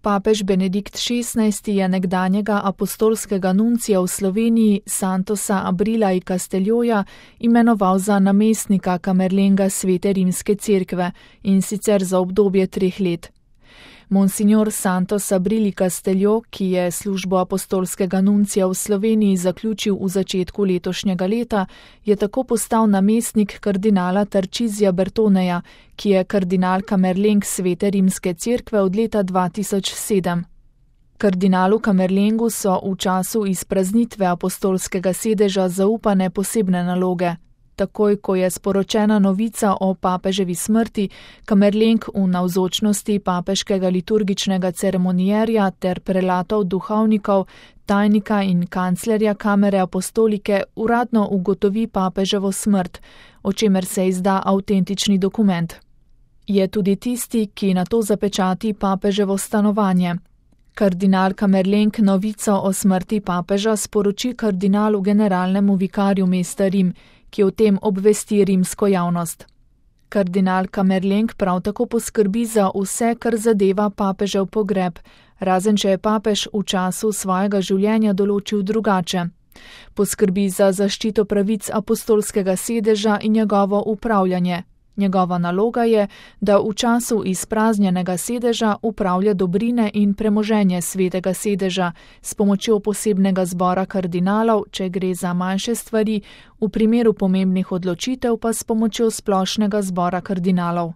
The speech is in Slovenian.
Papež Benedikt XVI je nekdanjega apostolskega nuncija v Sloveniji Santosa Abrila i Castelioja imenoval za namestnika kamerlenga Svete rimske cerkve, in sicer za obdobje 3 let. Monsignor Santos Abril i Castelio, ki je službo apostolskega nuncija v Sloveniji zaključil v začetku letošnjega leta, je tako postal namestnik kardinala Tarcisija Bertoneja, ki je kardinal kamerleng Svete rimske cerkve od leta 2007. Kardinalu kamerlengu so v času izpraznitve apostolskega sedeža zaupane posebne naloge. Takoj, ko je sporočena novica o papeževi smrti, kamerleng v navzočnosti papeškega liturgičnega ceremonierja ter prelatov duhovnikov, tajnika in kanclerja kamere apostolike uradno ugotovi papeževo smrt, o čemer se izda avtentični dokument. Je tudi tisti, ki nato zapečati papeževo stanovanje. Kardinal kamerleng novico o smrti papeža sporoči kardinalu generalnemu vikarju mesta Rim, ki o tem obvesti rimsko javnost. Kardinal kamerleng prav tako poskrbi za vse, kar zadeva papežev pogreb, razen če je papež v času svojega življenja določil drugače. Poskrbi za zaščito pravic apostolskega sedeža in njegovo upravljanje. Njegova naloga je, da v času izpraznjenega sedeža upravlja dobrine in premoženje svetega sedeža s pomočjo posebnega zbora kardinalov, če gre za manjše stvari, v primeru pomembnih odločitev pa s pomočjo splošnega zbora kardinalov.